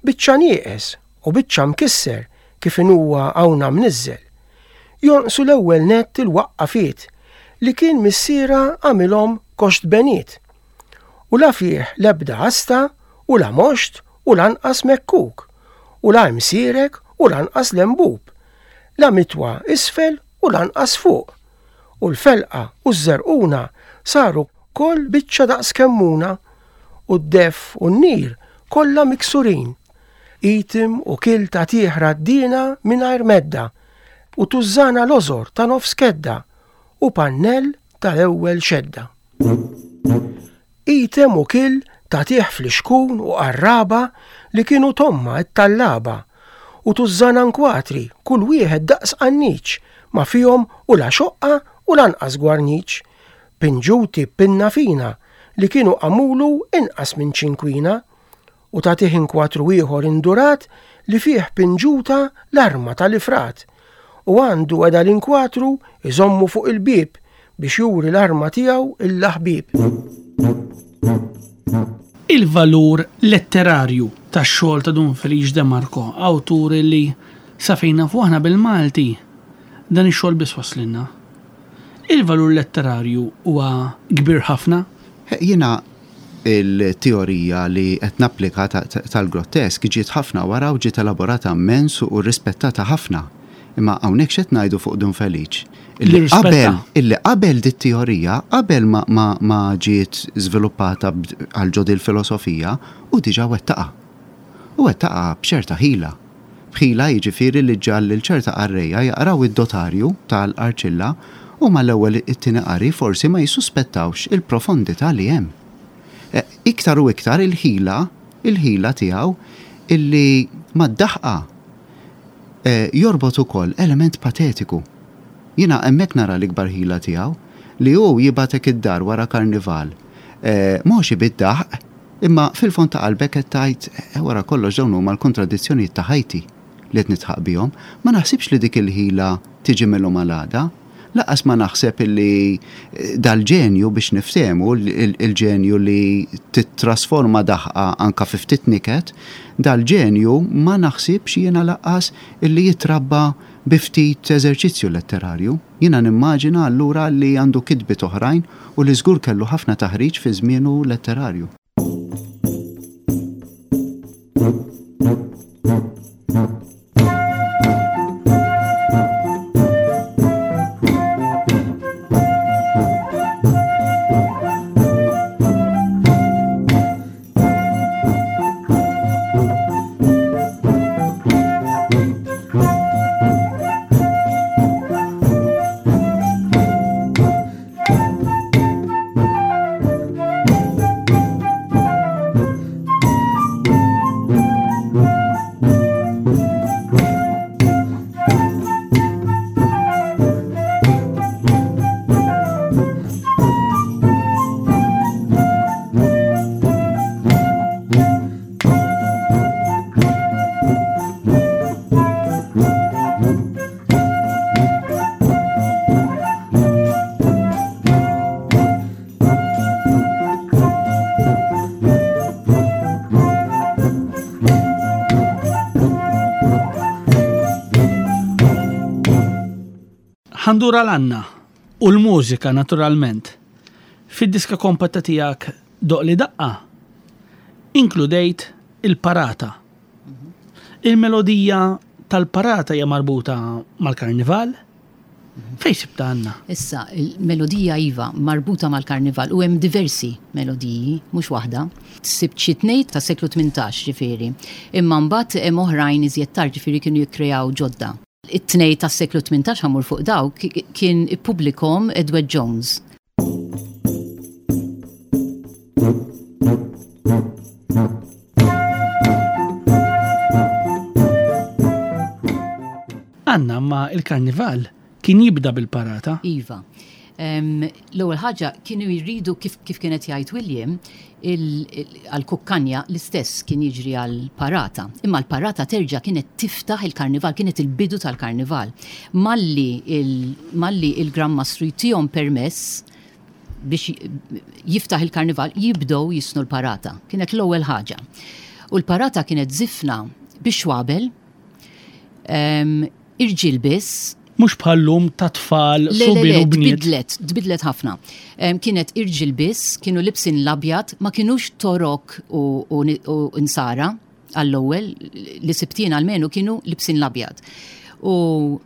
Biċċa nieqes u biċċa mkisser kif inhuwa hawnha mniżżel. Jonqsu l-ewwel nett il-waqqafiet li kien missiera għamilhom koxt beniet. U la fih l-ebda asta u la moxt u lanqas mekkuk u la imsierek u lanqas lembub, la mitwa isfel u lanqas fuq. U l-felqa u ż-żerquna saru kol biċċa daqs kemmuna u d-def u n-nir kollha miksurin. Itim u kil tagħtih raddina mingħajr medda u tużżana lożor ta' nofs kedda u pannell tal-ewwel xedda. Item u kil tagħtih flixkun u qarraba li kienu tomma t-tallaba u tużżana nkwatri kull wieħed daqs qanniċ ma fihom u la xoqqa u lanqas gwarniċ. Pinġuti pinna fina li kienu għamulu inqas minn ċinkwina u tagħtih inkwatru ieħor indurat li fih pinġuta l-arma tal-ifrat u għandu għeda l-inkwatru iżommu fuq il-bieb biex juri l-arma tiegħu il-laħbib. Il-valur letterarju tax-xogħol ta' Dun Felice De Marco, awtur li sa fejn nafu aħna bil-Malti dan ix-xogħol biss waslinna. Il-valur letterarju huwa kbir ħafna. Jiena il-teorija li qed napplika tal-grottesk ġiet ħafna wara u ġiet elaborata immens u rispettata ħafna. Imma hawnhekk x'qed ngħidu fuq Dun Felice? Illi qabel, illi qabel dit teorija, qabel ma, ma, ma ġiet żviluppata għal ġo dil-filosofija, u diġà wettaqa. U wettaqa b'ċerta ħila. B'ħila jiġifieri li ġall lil ċerta qarrejja jaqraw id-dotarju tal-Qarċilla u mal-ewwel it-tieni qari forsi ma jissuspettawx il-profondità li hemm. Iktar u iktar il-ħila, il-ħila tiegħu illi mad-daħqa eh, jorbot ukoll element patetiku. Jiena hemmhekk nara l-ikbar ħila tiegħu li hu jibgħatek id-dar wara karnival. Eh, Mhux bid-daħq, imma fil-fond ta' qalbek qed tgħid eh, wara kollox dawn huma l-kontradizzjonijiet ta' ħajti li qed nidħaq bihom. Ma naħsibx li dik il-ħila tiġi mill-lum għal għada. Lanqas ma naħseb illi eh, dal-ġenju biex niftehmu, il-ġenju li titrasforma daħqa anka fi ftit niket, dal-ġenju ma naħsibx jiena lanqas illi jitrabba bi ftit eżerċizzju letterarju. Jiena nimmaġina allura li għandu kitbiet oħrajn u li żgur kellu ħafna taħriġ fi żmienu letterarju. Ħa ndur għal Anna u l-mużika naturalment. Fid-diska kompatta tiegħek Doqqli Daqqa inkludejt il-parata. Il-melodija tal-parata hija marbuta mal-karnival. Fejn sibta Anna? Issa, il-melodija iva marbuta mal-karnival u hemm diversi melodiji, mhux waħda. Sibt xi tnejn ta' seklu tmintax ġifieri. Imma mbagħad hemm oħrajn iżjed tard ġifieri kienu jikkreaw ġodda. It-tnej tas seklu tmintax ħa mmur fuq dawk kien ippubblikhom Edward Jones. Anna, ma il-karnival kien jibda bil-parata? Iva. L-ewwel ħaġa kienu jridu kif, kif kienet jgħid William għal-kukkanja l-istess kien jiġri għal-parata. Imma l-parata terġa' kienet tiftaħ il-karnival, kienet il-bidu tal-karnival. Malli il, il-Gran Mastru jtihom permess biex jiftaħ il-karnival, jibdew jisnu l-parata. Kienet l-ewwel ħaġa. U l-parata kienet żifna biex xwabel, irġiel biss. Mhux bħal-lum ta' tfal, subien u bniet. Tbidlet, tbidlet ħafna. Kienet irġiel biss, kienu libsin l-abjad, ma kienux torok u, u, u insara għall-ewwel, li sibtin għalmenu kienu libsin l-abjad. U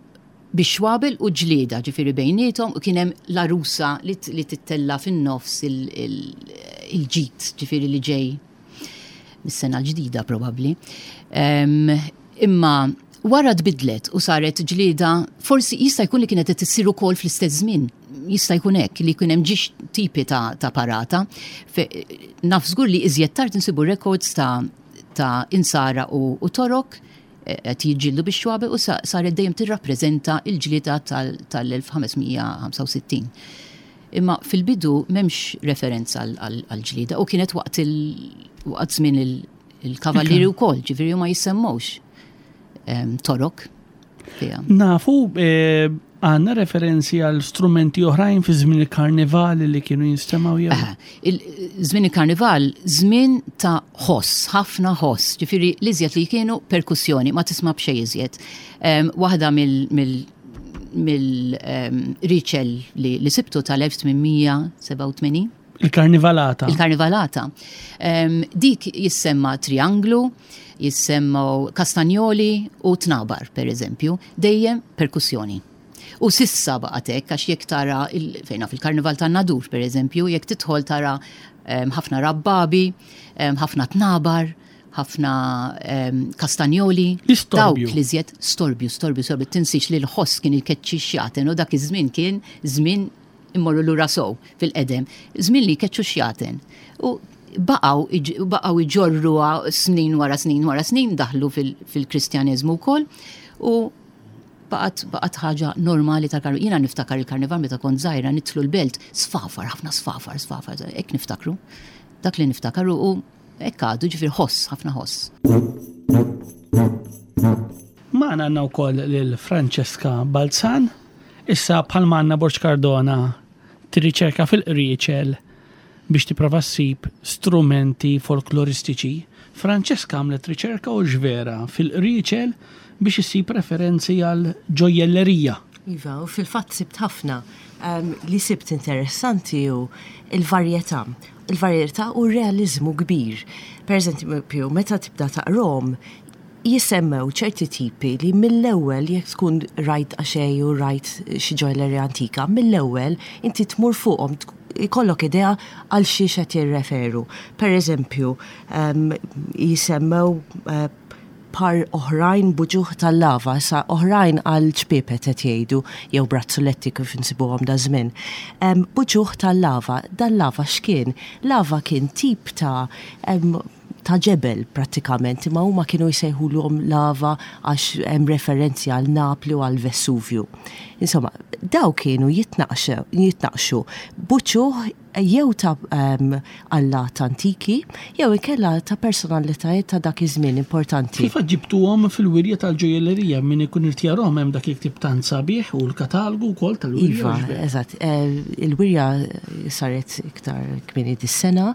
biex xwabel u ġlieda ġifieri bejniethom, u kien hemm l-arusa li, li tittella fin-nofs il-ġid, ġifieri li ġej mis-sena l-ġdida probabbli. Imma wara tbidlet u saret ġlieda, forsi jista' jkun li kienet qed issir ukoll fl-istess żmien. Jista' jkun hekk li jkun hemm ġiex tipi ta', ta' parata. Naf żgur li iżjed tard insibu records ta', ta' insara u, u torok qed jiġġieldu biex xwabe u saret dejjem tirrappreżenta l-ġlieda tal-elf ħames mija ħamsa u sittin. Imma fil-bidu m'hemmx referenza għall-ġlieda u kienet waqt waqt żmien il-kavallieri wkoll, ġifieri ma jissemmewx torok. Nafu għandna referenzi għal strumenti oħrajn fi żmien il-karnival li kienu jinstemgħu jew? Żmien il-karnival, żmien ta' ħoss, ħafna ħoss, ġifieri l-iżjed li kienu perkussjoni, ma tisma' b'xejn iżjed. Waħda mill-riċel li sibtu tal-elf tmien mija sebgħa u tmenin. Il-karnivalata. Il-karnivalata. Dik jissemma trianglu, jissemmaw kastanjoli u tnabar, per eżempju, dejjem perkussjoni. U sissa baqgħet hekk, għax jekk tara fejna fil-karnival tan-Nadur, per eżempju, jekk tidħol tara ħafna rabbabi, ħafna tnabar, ħafna kastanjoli. L-istorbju. Dawk li żjed storbju, storbju, storbju. Tinsiex li l-ħoss kien jkeċċi xjaten, u dak iż-żmien kien żmien immorru lura sow fil-qedem, żmien li jkeċċu xjaten. U baqgħu baqgħu jġorruha snin wara snin wara snin, daħlu fil-Kristjaneżmu wkoll, U baqgħet baqgħet ħaġa normali tal-karnival. Jiena niftakar il-karnival meta kont żgħira nidħlu l-belt, sfafar, ħafna sfafar, sfafar, hekk niftakru. Dak li niftakar u hekk għadu ġifier ħoss, ħafna ħoss. Magħna għandna wkoll lil Francesca Balzan, issa bħalma għandna Borg Cardona tirriċerka fil-qrieċel biex tipprova ssib strumenti folkloristiċi. Francesca għamlet riċerka u ġvera fil-qrieċel biex issib referenzi għal ġojjellerija. Iva, u fil-fatt sibt ħafna. Um, li sibt interessanti hu il-varjetà. Il-varjetà u realizmu kbir. Per eżempju, meta tibda taqrom, jisemmew ċerti tipi li mill-ewwel jekk tkun rajt għaxej u rajt xi ġojjellerija antika, mill-ewwel inti tmur fuqhom ikollok idea għal xiex qed jirreferu. Per eżempju, um, jisemmew uh, par oħrajn b'uċuħ tal-lava, sa oħrajn għal ċpiepet qed jgħidu jew brazzoletti kif insibuhom da żmien. Um, b'uċuħ tal-lava, dan-lava x'kien? Lava kien tip ta' um, ta' ġebel prattikament, imma huma kienu jsejħulhom lava għax hemm referenzi għal Napli u għal Vesuvju. Insomma, daw kienu jitnaqxu jitnaqxu b'uċuħ jew ta' um, allat antiki, jew inkella ta' personalitajiet ta' dak iż-żmien importanti. Kif ġibtuhom fil-wirja tal-ġojjellerija min ikun irid jarahom hemm dak il-ktieb tant sabiħ u l-katalgu wkoll tal-wirja. Iva, eżatt. Eh, Il-wirja saret iktar kmieni dis-sena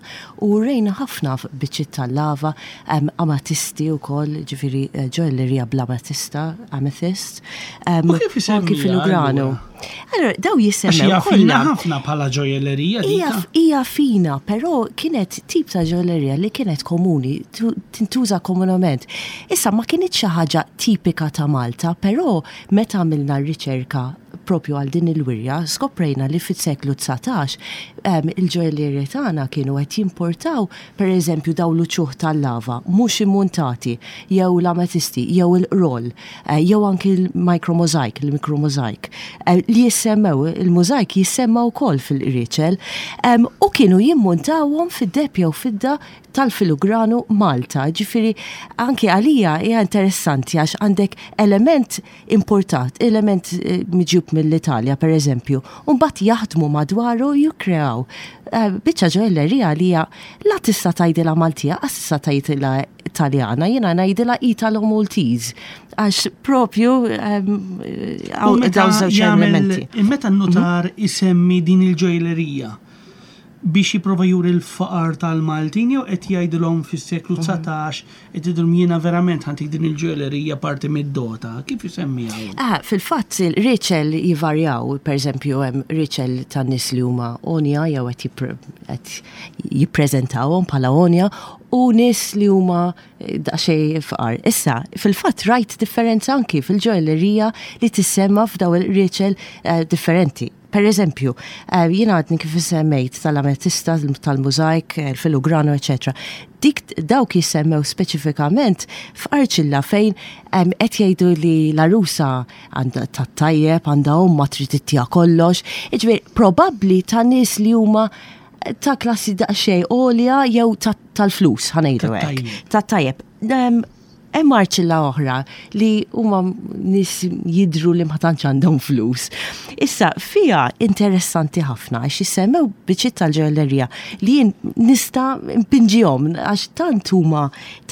u rejna ħafna biċċiet tal-lava, um, amatisti wkoll, ġifieri eh, ġojjellerija bl-amatista, amethyst. Um, U kif isemmiha anki filigranu. allura? Allora, daw Għax jisemmew hija fina kollha. ħafna bħala ġojjellerija Hija dika. hija fina, però kienet tip ta' ġojjellerija li kienet komuni, tu- tintuża komunament. Issa ma kienet xi ħaġa tipika ta' Malta, però meta għamilna r-riċerka propju għal din il-wirja, skoprejna li fis-seklu dsatax um, il-ġojjellerija tagħna kienu qed jimportaw per eżempju daw l-uċuħ tal-lava, mhux immuntati, jew l-ametisti, jew il-roll, eh, jew anki il-micromosaic, il-micromosaic, eh, li jissemmew, il-mosaic jissemma wkoll fil-qrieċel, um, u kienu jimmuntawhom fid-deheb jew fidda tal-filigranu Malta. Ġifieri, anki għalija hija interessanti għax għandek element importat, element eh, miġjub mill-Italja, per eżempju, u mbagħad jaħdmu madwaru jukreaw. Eh, Biċċa ġojjellerija li hija la tista' tgħidilha Maltija, għax tista' tgħidilha Italjana, jiena ngħidilha Italo Maltese. Għax propju ehm, U għaw meta dawn żewġ jagħmel- elementi. Meta n-notar isemmi din il-ġojjellerija biex jipprova juri l-faqar tal-Maltin jew qed jgħidilhom fis-seklu dsatax qed jgħidilhom jiena verament ħa ntik din il-ġojjellerija parti mid-dota. Kif isemmiha? hu? Ah, fil-fatt il-riċel jivarjaw, per eżempju, hemm riċel ta' nies li huma onja jew qed jippre- qed jippreżentawhom bħala onja u nies li huma eh, daqsxejn fqar. Issa, fil-fatt rajt differenza anki fil-ġojjellerija li tissemma f'daw il-riċel eh, differenti. Per eżempju, eh, jiena għadni kif semmejt tal-ametista, tal-mużajk, il-filugrano, eccetera. Dik dawk jissemmew speċifikament f'arċilla fejn em, qed jgħidu li l-arusa għandha tat-tajjeb, għandha omma trid ittiha kollox. Jiġifieri probabbli ta' nies li huma ta' klassi daqsxejn għolja jew ta- tal-flus, ħa ngħidu hekk. Tat-tajjeb. Tat-tajjeb. Em, Hemm arċilla oħra li huma nies jidru li ma tantx għandhom flus. Issa fija interessanti ħafna għax jissemmew biċċiet tal-ġojjellerija li jien nista' npinġihom għax tant huma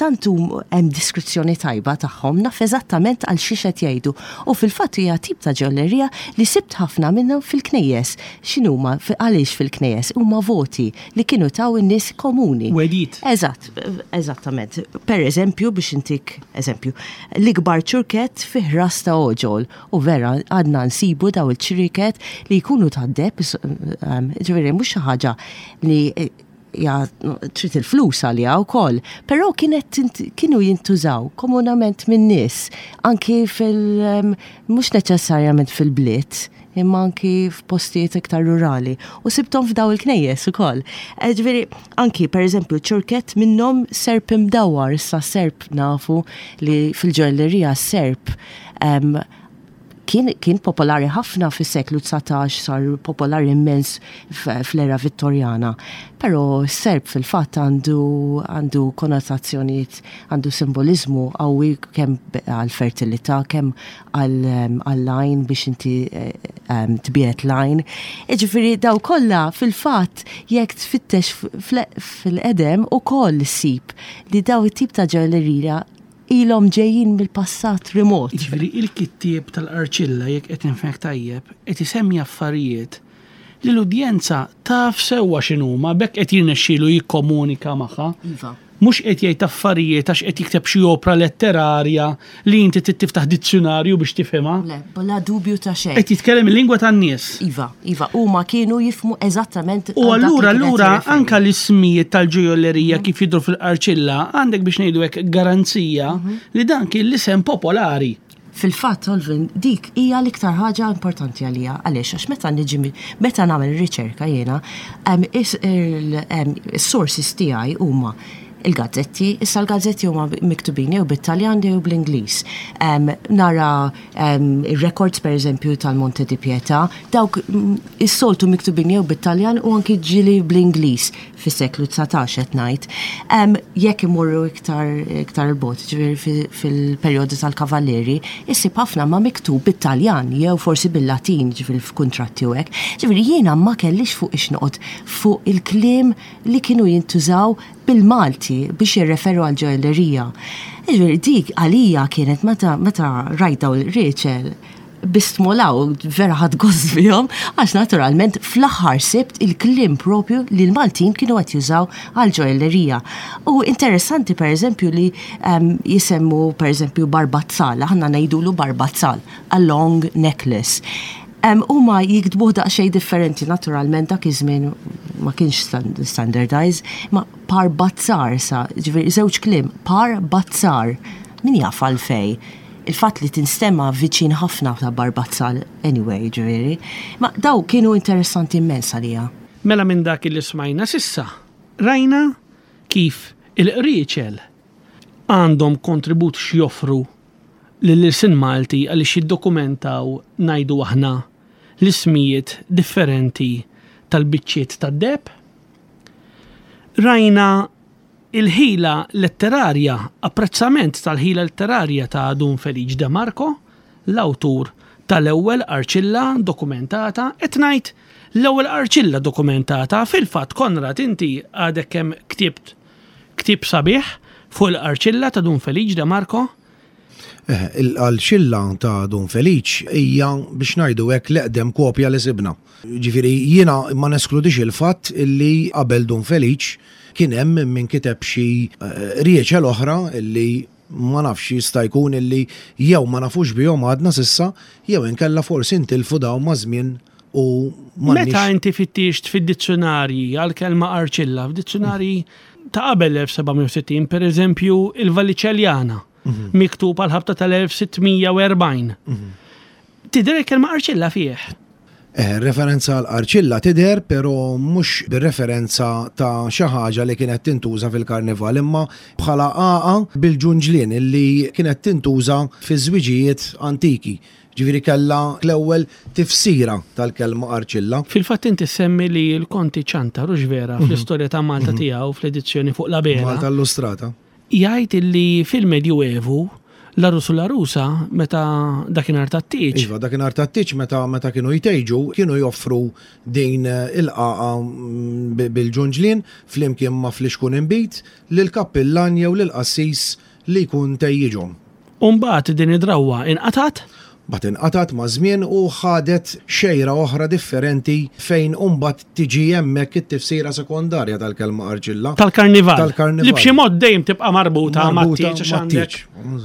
tant hum hemm diskrizzjoni tajba tagħhom naf eżattament għal xiex qed jgħidu. U fil-fatt hija tip ta' ġojjellerija li sibt ħafna minnhom fil-knejjes. X'inhuma għaliex fil-knejjes? Huma voti li kienu taw in-nies komuni. Wedit. Eżatt, eżattament. Per eżempju, biex intik eżempju, l-ikbar ċurket fih ras ta' oġol u vera għadna nsibu daw il-ċriket li jkunu ta' deheb, ġifieri mhux xi ħaġa li eh, ja, trid il-flus għalija wkoll, però kienet kienu jintużaw komunament minn nies, anki fil mhux neċessarjament fil-bliet, imma anki f'postijiet iktar rurali. U sibtom f'daw il-knejjes ukoll. Eh, Ġifieri, anki per eżempju ċurket minnhom serp imdawwar, issa serp nafu li fil-ġojjellerija serp em, Kien, kien popolari ħafna fis-seklu dsatax, sar popolari immens fl-era Vittorjana. Però serp fil-fatt għandu għandu konnotazzjonijiet, għandu simbolizmu qawwi kemm għal-fertilità, kemm għall-għajn biex inti tbiegħed l-għajn. Jiġifieri daw kollha fil-fatt jekk tfittex fil-qedem ukoll issib li daw it-tip ta' ġojjellerija ilhom ġejjin mill-passat remot. Jiġifieri il-kittieb tal-Qarċilla, jekk qed nifhmek tajjeb, qed isemmi affarijiet li l-udjenza taf sewwa x'inhuma, b'hekk qed jirnexxielu jikkomunika magħha. Iva. Mhux qed jgħid affarijiet għax qed jikteb xi opra letterarja li inti trid tiftaħ dizzjonarju biex tifhimha. Le, bla dubju ta' xejn. Qed jitkellem il-lingwa tan-nies. Iva, iva, huma kienu jifhmu eżattament. U allura allura anka l-ismijiet tal-ġojjellerija kif jidhru fil-Qarċilla għandek biex ngħidu hekk garanzija li dan kien l-isem popolari. Fil-fatt, Olvin, dik hija l-iktar ħaġa importanti għalija. Għaliex, għax meta niġi meta nagħmel riċerka jiena, is-sources tiegħi huma il-gazzetti, issa l-gazzetti huma miktubin jew bit-Taljan jew bl-Ingliż. Nara il-records per eżempju tal-Monte di Pietà, dawk is-soltu miktubin jew bit-Taljan u anki ġieli bl-Ingliż fis-seklu dsatax qed ngħid. Jekk imorru iktar iktar 'il bogħod, ġifieri fil-perjodu tal-Kavallieri, issib ħafna ma miktub bit-Taljan jew forsi bil-Latin, ġifieri f'kuntratti u hekk. Ġifieri jiena ma kellix fuq xiex noqgħod fuq il-kliem li kienu jintużaw bil-Malti biex jirreferu għal ġojjellerija. Ġifieri dik għalija kienet meta meta rajt daw il-qrieċel bistmolaw, vera ħadt gost bihom, għax naturalment fl-aħħar sibt il-kliem propju li l-Maltin kienu qed jużaw għal ġojjellerija. U interessanti per eżempju li um, jisemmu per eżempju barbazzal, aħna ngħidulu barbazzal, a long necklace. Um, Huma jiktbuh daqsxejn differenti, naturalment dak iż-żmien ma kienx standardized, ma parbazzar sa, ġifieri żewġ kliem, parbazzar, min jaf għalfej. Il-fatt li tinstema viċin ħafna ta' barbazzal anyway, ġifieri. Ma daw kienu interessanti immens għalija. Mela minn dak li smajna s'issa, rajna kif il-qrieċel għandhom kontribut x'joffru lill-ilsien Malti għaliex jiddokumentaw, ngħidu aħna, l-ismijiet differenti tal-biċċiet tad-deheb. Rajna il-ħila letterarja, apprezzament tal-ħila letterarja ta' Dun Feliċ De Marco, l-awtur tal-ewwel qarċilla dokumentata, qed ngħid l-ewwel qarċilla dokumentata, fil-fatt Konrad inti għadek kemm ktibt ktieb sabiħ fuq il-qarċilla ta' Dun Feliċ De Marco. Eh, il-qarċilla ta' Dun Feliċ hija biex ngħidu hekk l-eqdem kopja li sibna. Ġifieri jiena ma neskludix il-fatt illi qabel Dun Feliċ kien hemm min kiteb xi eh, qrieċel oħra illi ma nafx, jista' jkun illi jew ma nafux bihom għadna s'issa jew inkella forsi ntilfu daw ma' żmien u Meta inti fittixt fid-dizzjonarji għal-kelma qarċilla, f'dizzjonarji ta' qabel elf seba' mija u sittin, per eżempju, il-Vallicelliana, mhm. miktub għal ħabta tal-elf sitt mija u erbgħin. Mhm. Tidher il-kelma qarċilla fih? Eh, referenza għal qarċilla tidher, pero mhux bir-referenza ta' xi ħaġa li kienet tintuża fil-karnival, imma bħala għaqa bil-ġunġlien illi kienet tintuża fi żwiġijiet antiki. Ġifieri kellha l-ewwel tifsira tal-kelma qarċilla. Fil-fatt inti semmi li l-Konti Ciantar, hux vera, mhm. fl-istorja ta' Malta mhm. tiegħu fl-edizzjoni fuq l-Abela. Malta Illustrata. Jgħid illi fil-Medjuevu l-għarus u l-għarusa meta dakinhar tat-tieġ. Iva, dakinhar tat-tieġ meta meta kienu jtejġu, kienu joffru din il-għaqa mm, bil-ġunġlien flimkien ma' flixkun inbid lill-kappillan jew lill-qassis li jkun tejjiġhom. Umbagħad din id-drawwa inqatat? Mbagħad inqatat ma' żmien u ħadet xejra oħra differenti fejn mbagħad tiġi hemmhekk it-tifsira sekondarja tal-kelma qarċilla. Tal-karnival. Tal-karnival. Li b'xi mod dejjem tibqa' marbuta mat-tieġ għax għandek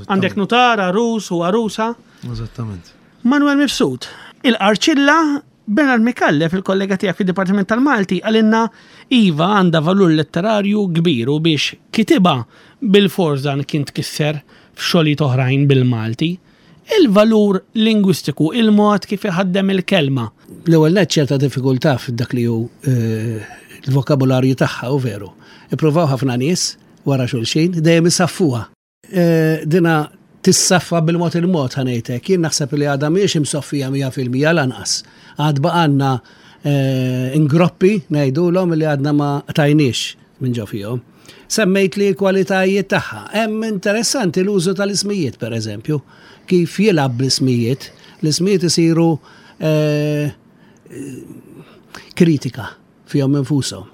għandek nutar, għarus u għarusa. Eżattament. Manuel Mifsud, il-qarċilla, Bernard Micallef, il-kollega tiegħek fid-Dipartiment tal-Malti, qalilna iva, għandha valur letterarju kbir u biex kitibha bilfors dan kien tkisser f'xogħlijiet oħrajn bil-Malti. Il-valur lingwistiku, il-mod kif iħaddem il-kelma. L-ewwel nett ċerta diffikultà f'dak li hu eh, il-vokabularju tagħha u veru. Ippruvaw ħafna nies wara xulxin, dejjem isaffuha. Eh, dina Tissaffa bil-mod il-mod, ħa ngħidlek. Jien naħseb li għadha mhijiex imsoffija mija fil-mija lanqas. Għad baqgħalna eh, ingroppi ngħidulhom li għadna ma tajniex minn ġo fihom. Semmejt li l-kwalitajiet tagħha. Hemm interessanti l-użu tal-ismijiet, per eżempju, kif jilgħab bl-ismijiet. L-ismijiet isiru eh, kritika fihom infushom.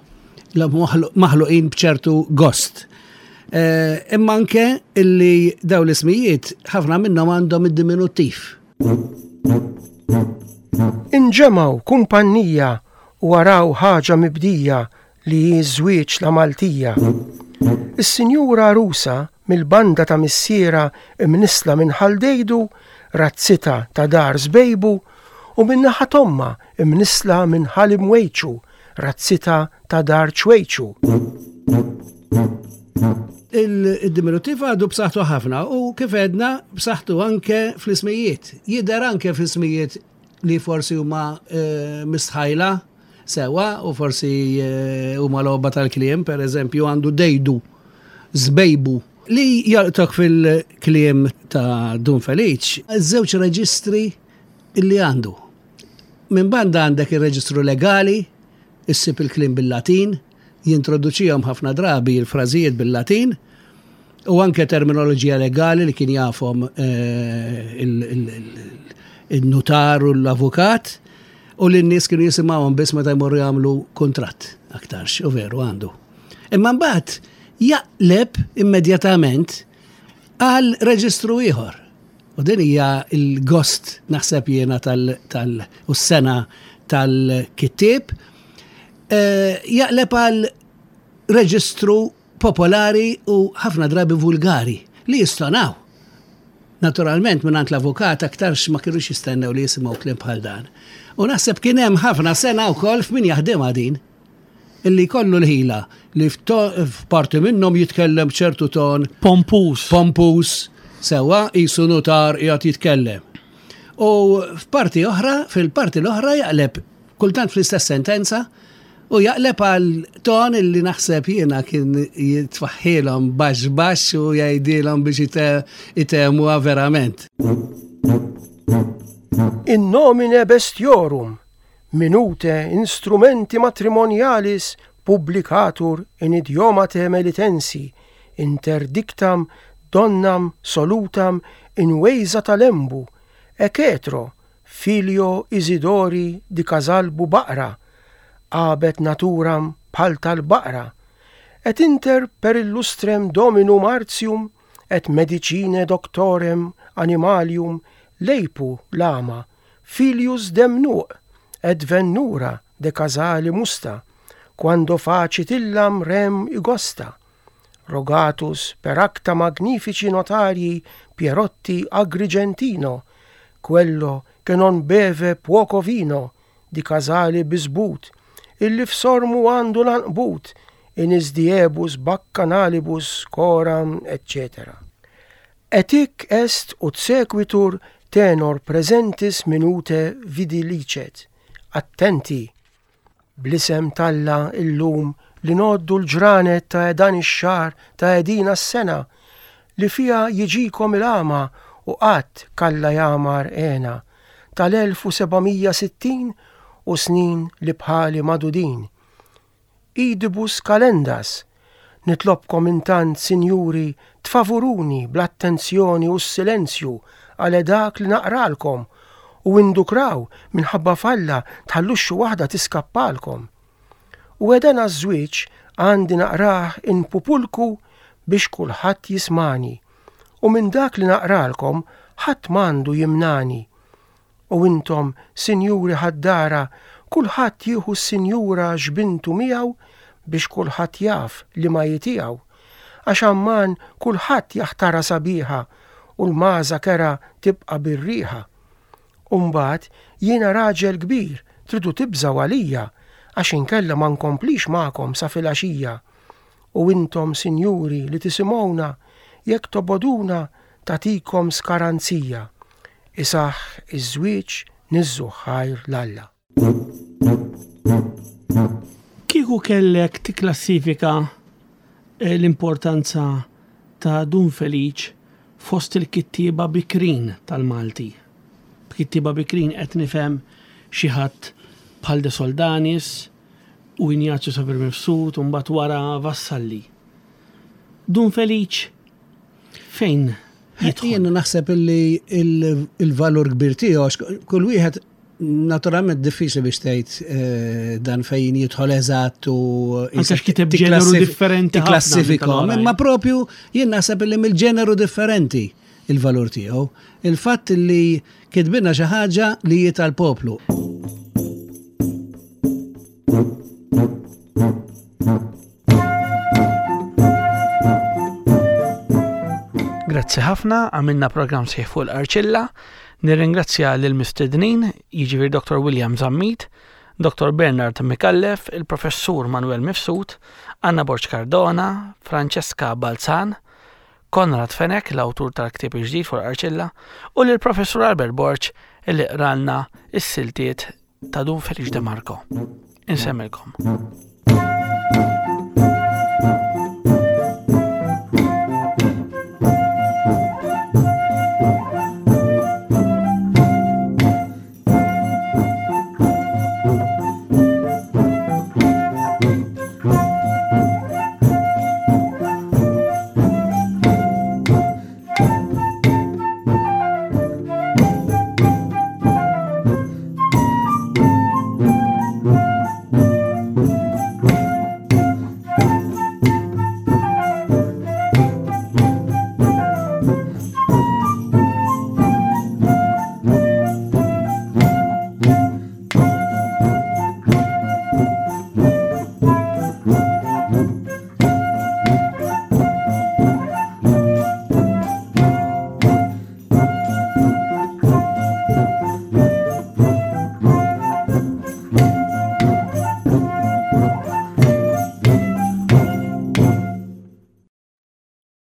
Maħluqin bċertu gost. Eh, imma anke illi daw l-ismijiet ħafna minnhom għandhom id-diminuttiv. Inġemgħu kumpannija u araw ħaġa mibdija li hi żwieġ la Maltija. Is-sinjura Rusa mill-banda ta' missiera imnisla minn Ħaldejdu, razzita ta' dar Zbejbu, u minn naħa t'ommha imnisla minn Ħal Imwejċu, razzita ta' dar Ċwejċu. Il-diminutiv għadu b'saħħtu ħafna u kif għedna b'saħħtu anke fl-ismijiet. Jidher anke fl-ismijiet li forsi huma eh, mistħajla sewa u forsi eh, huma logħba tal-kliem, per eżempju għandu Dejdu, Zbejbu. Li jalqtok fil-kliem ta' Dun Feliċ, żewġ reġistri illi għandu. Minn banda għandek il-reġistru legali, issib il-kliem bil-Latin, jintroduċihom ħafna drabi il-frażijiet bil-Latin, u anke terminoloġija legali li kien jafhom eh, il-nutar u l-avukat, u li n-nies kienu jisimgħuhom biss meta jmorru jagħmlu kuntratt aktarx, u veru għandu. Imma mbagħad jaqleb immedjatament għal reġistru ieħor. U din hija il-gost naħseb jiena tal, tal u s-sena tal-kittieb, eh, jaqleb għal reġistru popolari u ħafna drabi vulgari li jistonaw. Naturalment minn l-avukat aktarx ma kienux jistennew li jisimgħu kliem bħal dan. U naħseb kien hemm ħafna sena wkoll f'min jaħdimha din. Illi kollu l-ħila li f'parti minnhom jitkellem ċertu ton Pompus. Pompus, sewa jisu nutar qiegħed jitkellem. U f'parti oħra, fil-parti l-oħra jaqleb kultant fl-istess sentenza u jaqleb għal ton illi naħseb jiena kien jitfaħħilhom baxx baxx u jgħidilhom biex itemuha verament. In nomine bestiorum, minute instrumenti matrimonialis publicatur in idiomate melitensi, interdictam donnam solutam in wejza talembu, ecetro, filio Isidori di Casalbu Baqra, għabet naturam bħal tal-baqra, et inter per illustrem dominum artium, et medicine doctorem animalium leipu lama, filius demnuq, et vennura de casali musta, quando facit illam rem igosta. Rogatus per acta magnifici notarii Pierotti Agrigentino, quello che non beve poco vino, di casali bisbut, illi f'sormu għandu l-anqbut, in isdiebus baccanalibus coram, eccetera. Et hic est ut sequitur tenor presentis minute vidilicet. Attenti! Bl-isem t'Alla illum li noddu l-ġranet ta' dan ix-xahar ta' edina s-sena li fija jiġikom il-għama u qatt kalla jamar għena tal-elf u sebgħamija sittin u snin li bħali madudin. Idibus kalendas, nitlobkom intant, sinjuri, tfavuruni bl-attenzjoni u s-silenzju għal dak li naqralkom u indukraw minħabba falla tħalluxxu waħda tiskappalkom. U edena ż-żwieġ għandi naqrah in pupulku biex kulħadd jismani, u minn dak li naqralkom ħadd m'għandu jimnani. U intom, sinjuri ħaddara, kulħadd jieħu s-sinjura x'bintu miegħu biex kulħadd jaf li ma jitiegħu. Għax amman kulħadd jaħtara sabiħa u l-maża kera tibqa' bir-riħa. Umbagħad jiena raġel kbir, tridu tibżgħu għalija, għax inkella ma nkomplix magħkom sa filgħaxija. U intom, sinjuri, li tisimgħuna, jekk toboduna tagħtikom skaranzija. Isaħ iż-żwieġ niżżu ħajr l-Alla. Kieku kellek tikklassifika, eh, l-importanza ta' Dun Feliċ fost il-kittieba bikrin tal-Malti? B'kittieba bikrin qed nifhem xi ħadd bħal De Soldanis u Ignazio Savio Mifsud u mbagħad wara Vassalli. Dun Feliċ fejn jidħol? Jiena naħseb illi il-valur kbir tiegħu għax kull wieħed naturalment diffiċli biex tgħid eh, dan fejn jidħol eżatt u Anke x'kiteb ġeneru differenti ħafna minn tikklassifikhom, tal-oħrajn. imma propju jien naħseb illi mill-ġeneru differenti il-valur tiegħu. Il-fatt li kitbinna xi ħaġa li hi tal-poplu. Grazzi ħafna, għamilna programm sħiħ fuq l-Arċilla. Nirringrazzja lil mistednin, jiġifieri Dr. William Zammit, Dr. Bernard Micallef, il-Professur Manuel Mifsud, Anna Borg Cardona, Francesca Balzan, Konrad Fenech, l-awtur tal-ktieb il-ġdid fuq l-Arċilla, u lill Professur Albert Borg illi qralna is-siltiet ta' Dun Feliċ De Marco. Insemmilkom.